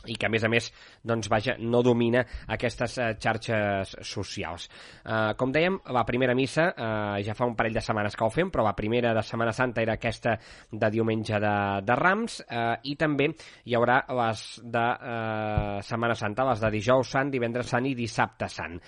i que, a més a més, doncs, vaja, no domina aquestes eh, xarxes socials. Eh, com dèiem, la primera missa, eh, ja fa un parell de setmanes que ho fem, però la primera de Setmana Santa era aquesta de diumenge de, de Rams, eh, i també hi haurà les de eh, Setmana Santa, les de dijous sant, divendres sant i dissabte sant.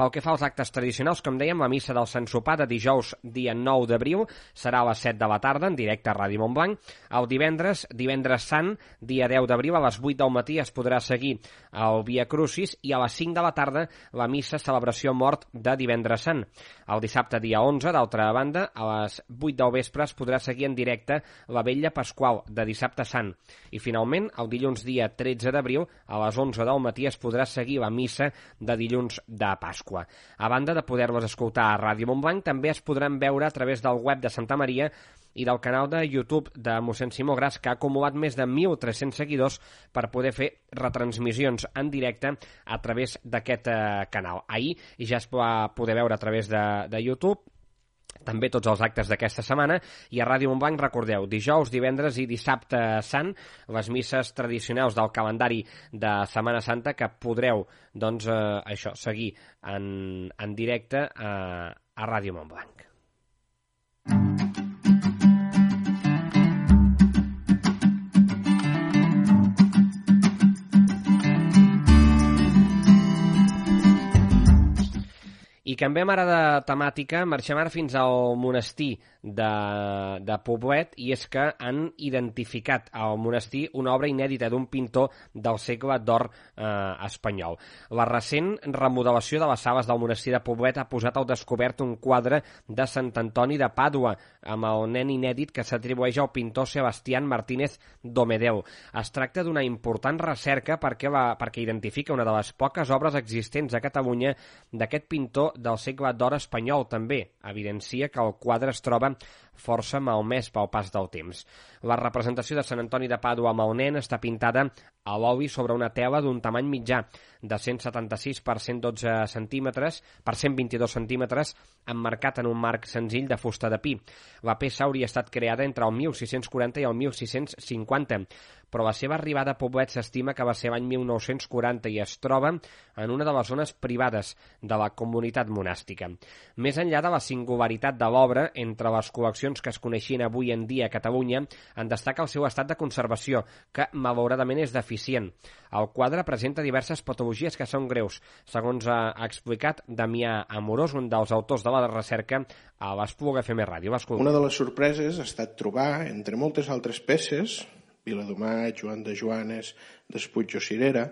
Pel que fa als actes tradicionals, com dèiem, la missa del Sant Sopar de dijous, dia nou d'abril, serà a les set de la tarda, en directe a Ràdio Montblanc. El divendres, divendres sant, dia deu d'abril, a les vuit del matí es podrà seguir el Via Crucis i a les cinc de la tarda la missa celebració mort de divendres sant. El dissabte, dia onze, d'altra banda, a les vuit del vespre es podrà seguir en directe la Vetlla Pasqual de dissabte sant. I finalment, el dilluns, dia tretze d'abril, a les onze del matí es podrà seguir la missa de dilluns de Pasqua. A banda de poder-les escoltar a Ràdio Montblanc, també es podran veure a través del web de Santa Maria i del canal de YouTube de mossèn Simó Gras, que ha acumulat més de mil tres-cents seguidors per poder fer retransmissions en directe a través d'aquest eh, canal. Ahir ja es va poder veure a través de, de YouTube també tots els actes d'aquesta setmana, i a Ràdio Montblanc, recordeu, dijous, divendres i dissabte sant, les misses tradicionals del calendari de Setmana Santa que podreu, doncs, eh, això, seguir en, en directe eh, a Ràdio Montblanc. I canviem ara de temàtica, marxem ara fins al monestir de, de Poblet, i és que han identificat al monestir una obra inèdita d'un pintor del segle d'or eh, espanyol. La recent remodelació de les sales del monestir de Poblet ha posat al descobert un quadre de Sant Antoni de Pàdua, amb el nen inèdit que s'atribueix al pintor Sebastián Martínez Domedeu. Es tracta d'una important recerca perquè, la, perquè identifica una de les poques obres existents a Catalunya d'aquest pintor del segle d'or espanyol. També evidencia que el quadre es troba força malmès pel pas del temps. La representació de Sant Antoni de Pàdua amb el nen està pintada a l'oli sobre una tela d'un tamany mitjà de cent setanta-sis per cent dotze centímetres per cent vint-i-dos centímetres, emmarcat en un marc senzill de fusta de pi. La peça hauria estat creada entre el mil sis-cents quaranta i el mil sis-cents cinquanta, però la seva arribada a Poblet s'estima que va ser l'any mil nou-cents quaranta i es troba en una de les zones privades de la comunitat monàstica. Més enllà de la singularitat de l'obra, entre les col·leccions que es coneixien avui en dia a Catalunya, en destaca el seu estat de conservació, que malauradament és deficient. El quadre presenta diverses patologies que són greus, segons ha explicat Damià Amorós, un dels autors de la recerca a l'Espluga F M Ràdio. Una de les sorpreses ha estat trobar, entre moltes altres peces, Viladomat, Joan de Joanes, Despuig o Cirera,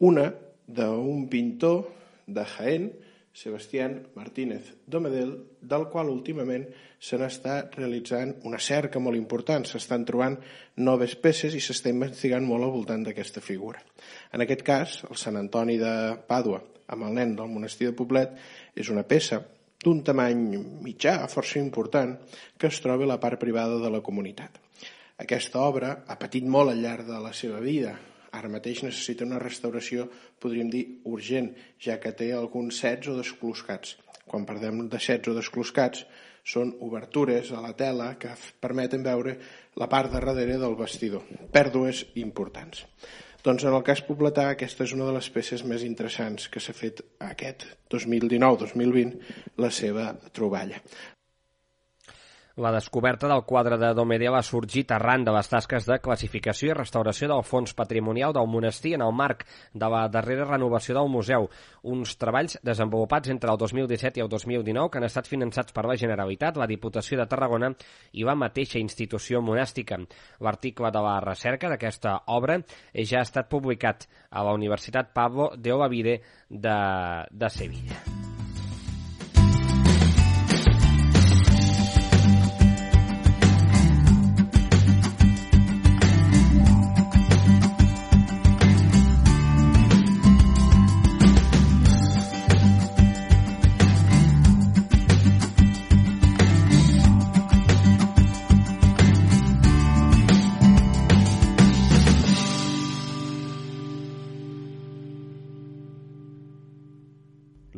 una d'un pintor de Jaén, Sebastián Martínez Domedel, del qual últimament se n'està realitzant una cerca molt important. S'estan trobant noves peces i s'està investigant molt al voltant d'aquesta figura. En aquest cas, el Sant Antoni de Pàdua, amb el nen del monestir de Poblet, és una peça d'un tamany mitjà, força important, que es troba a la part privada de la comunitat. Aquesta obra ha patit molt al llarg de la seva vida. Ara mateix necessita una restauració, podríem dir, urgent, ja que té alguns sets o descloscats. Quan parlem de sets o descloscats, són obertures a la tela que permeten veure la part de darrere del vestidor. Pèrdues importants. Doncs en el cas pobletà, aquesta és una de les peces més interessants que s'ha fet aquest dos mil dinou dos mil vint, la seva troballa. La descoberta del quadre de Domedeu ha sorgit arran de les tasques de classificació i restauració del fons patrimonial del monestir en el marc de la darrera renovació del museu, uns treballs desenvolupats entre el dos mil disset i el dos mil dinou que han estat finançats per la Generalitat, la Diputació de Tarragona i la mateixa institució monàstica. L'article de la recerca d'aquesta obra ja ha estat publicat a la Universitat Pablo de Olavide de, de Sevilla.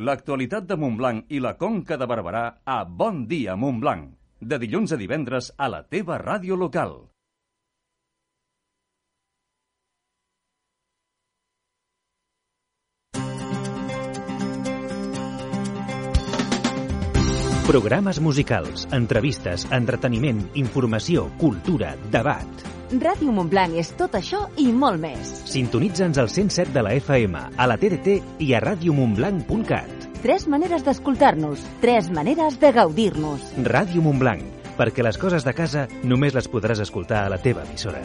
L'actualitat de Montblanc i la Conca de Barberà a Bon Dia Montblanc. De dilluns a divendres a la teva ràdio local. Programes musicals, entrevistes, entreteniment, informació, cultura, debat. Ràdio Montblanc és tot això i molt més. Sintonitza'ns al cent set de la F M, a la T D T i a radio montblanc punt cat. Tres maneres d'escoltar-nos, tres maneres de gaudir-nos. Ràdio Montblanc, perquè les coses de casa només les podràs escoltar a la teva emissora.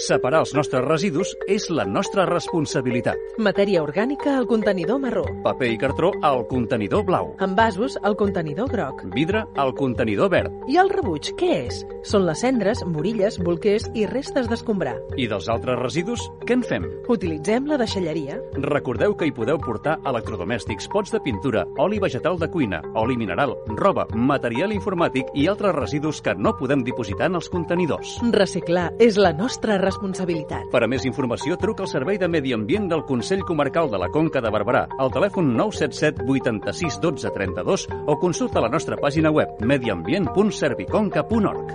Separar els nostres residus és la nostra responsabilitat. Matèria orgànica al contenidor marró. Paper i cartró al contenidor blau. Envasos al contenidor groc. Vidre al contenidor verd. I el rebuig, què és? Són les cendres, morilles, bolquers i restes d'escombrar. I dels altres residus, què en fem? Utilitzem la deixalleria. Recordeu que hi podeu portar electrodomèstics, pots de pintura, oli vegetal de cuina, oli mineral, roba, material informàtic i altres residus que no podem dipositar en els contenidors. Reciclar és la nostra responsabilitat. Per a més informació, truca al Servei de Medi Ambient del Consell Comarcal de la Conca de Barberà al telèfon nou set set vuitanta-sis dotze trenta-dos o consulta la nostra pàgina web mediambient punt serviconca punt org.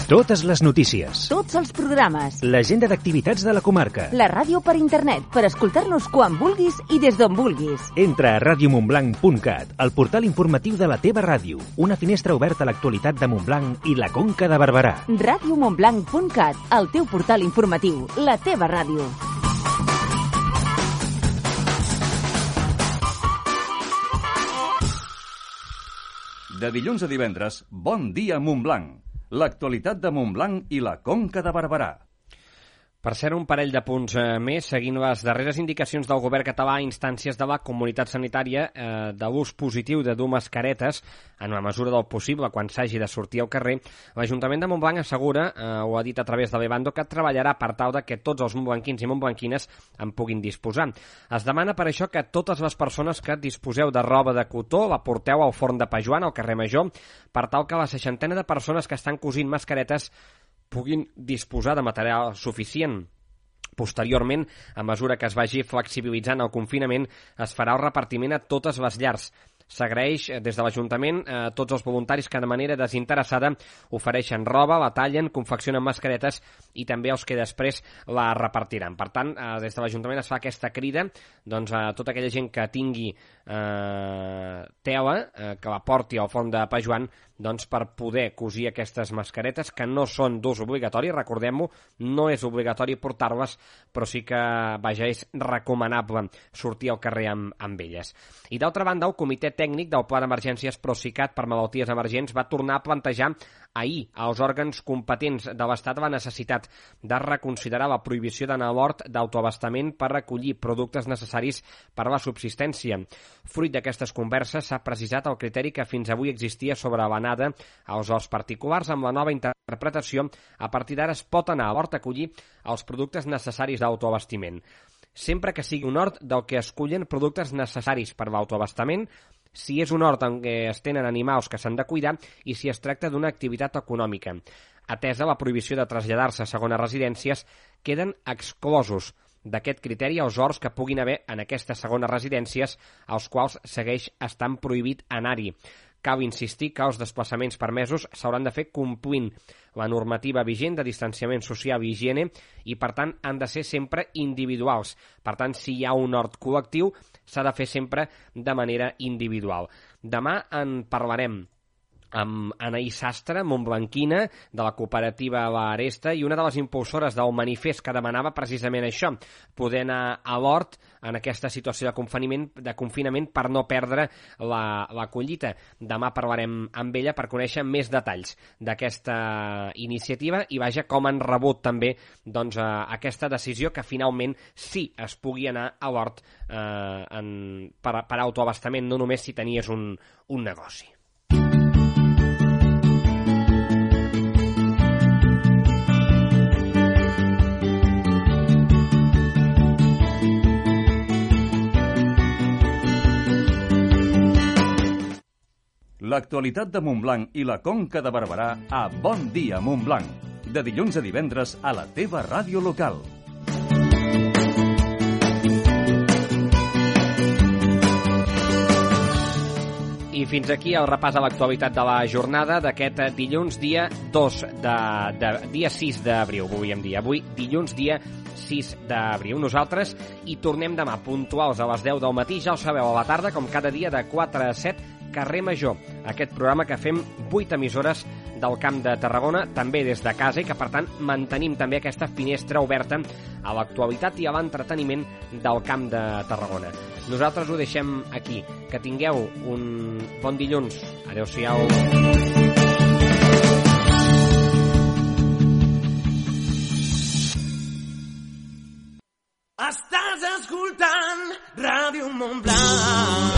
Totes les notícies. Tots els programes. L'agenda d'activitats de la comarca. La ràdio per internet, per escoltar-nos quan vulguis i des d'on vulguis. Entra a radio montblanc punt cat, el portal informatiu de la teva ràdio. Una finestra oberta a l'actualitat de Montblanc i la Conca de Barberà. radio montblanc punt cat, el teu portal informatiu, la teva ràdio. De dilluns a divendres, Bon Dia Montblanc. L'actualitat de Montblanc i la Conca de Barberà. Per ser un parell de punts eh, més, seguint les darreres indicacions del govern català a instàncies de la comunitat sanitària eh, de l'ús positiu de dur mascaretes en la mesura del possible quan s'hagi de sortir al carrer, l'Ajuntament de Montblanc assegura, eh, ho ha dit a través de l'Evando, que treballarà per tal de que tots els montblanquins i montblanquines en puguin disposar. Es demana per això que totes les persones que disposeu de roba de cotó la porteu al forn de Pa Joan, al carrer Major, per tal que la seixantena de persones que estan cosint mascaretes puguin disposar de material suficient. Posteriorment, a mesura que es vagi flexibilitzant el confinament, es farà el repartiment a totes les llars. S'agraeix des de l'Ajuntament a tots els voluntaris que de manera desinteressada ofereixen roba, la tallen, confeccionen mascaretes i també els que després la repartiran. Per tant, des de l'Ajuntament es fa aquesta crida doncs, a tota aquella gent que tingui eh, tela, eh, que la porti al forn de Pa Joan, doncs, per poder cosir aquestes mascaretes que no són d'ús obligatori, recordem-ho, no és obligatori portar-les, però sí que, vaja, és recomanable sortir al carrer amb, amb elles. I d'altra banda, el Comitè Tècnic del Pla d'Emergències Procicat per Malalties Emergents va tornar a plantejar ahir als òrgans competents de l'Estat la necessitat de reconsiderar la prohibició d'anar a l'hort d'autoabastament per recollir productes necessaris per a la subsistència. Fruit d'aquestes converses s'ha precisat el criteri que fins avui existia sobre l'anada als horts particulars. Amb la nova interpretació, a partir d'ara es pot anar a l'hort a collir els productes necessaris d'autoabastiment. Sempre que sigui un hort del que es cullen productes necessaris per l'autoabastament, si és un hort en què es tenen animals que s'han de cuidar i si es tracta d'una activitat econòmica. Atesa la prohibició de traslladar-se a segones residències, queden exclosos d'aquest criteri els horts que puguin haver en aquestes segones residències, als quals segueix estant prohibit anar-hi. Cal insistir que els desplaçaments permesos s'hauran de fer complint la normativa vigent de distanciament social i higiene i, per tant, han de ser sempre individuals. Per tant, si hi ha un hort col·lectiu, s'ha de fer sempre de manera individual. Demà en parlarem amb Anaïs Sastre, montblanquina, de la cooperativa La Aresta, i una de les impulsores del manifest que demanava precisament això, poder anar a l'hort en aquesta situació de confinament, de confinament per no perdre la, la collita. Demà parlarem amb ella per conèixer més detalls d'aquesta iniciativa i vaja com han rebut també doncs, eh, aquesta decisió que finalment sí es pugui anar a l'hort eh, en, per, per autoabastament, no només si tenies un, un negoci. L'actualitat de Montblanc i la Conca de Barberà a Bon Dia Montblanc. De dilluns a divendres a la teva ràdio local. I fins aquí el repàs a l'actualitat de la jornada d'aquest dilluns dia dos de, de dia sis d'abril, volíem dir. Avui, dilluns dia sis d'abril. Nosaltres hi tornem demà puntuals a les deu del matí, ja ho sabeu, a la tarda, com cada dia de quatre a set, Carrer Major, aquest programa que fem vuit emissores del Camp de Tarragona, també des de casa, i que, per tant, mantenim també aquesta finestra oberta a l'actualitat i a l'entreteniment del Camp de Tarragona. Nosaltres ho deixem aquí. Que tingueu un bon dilluns. Adéu-siau. Estàs escoltant Ràdio Montblanc.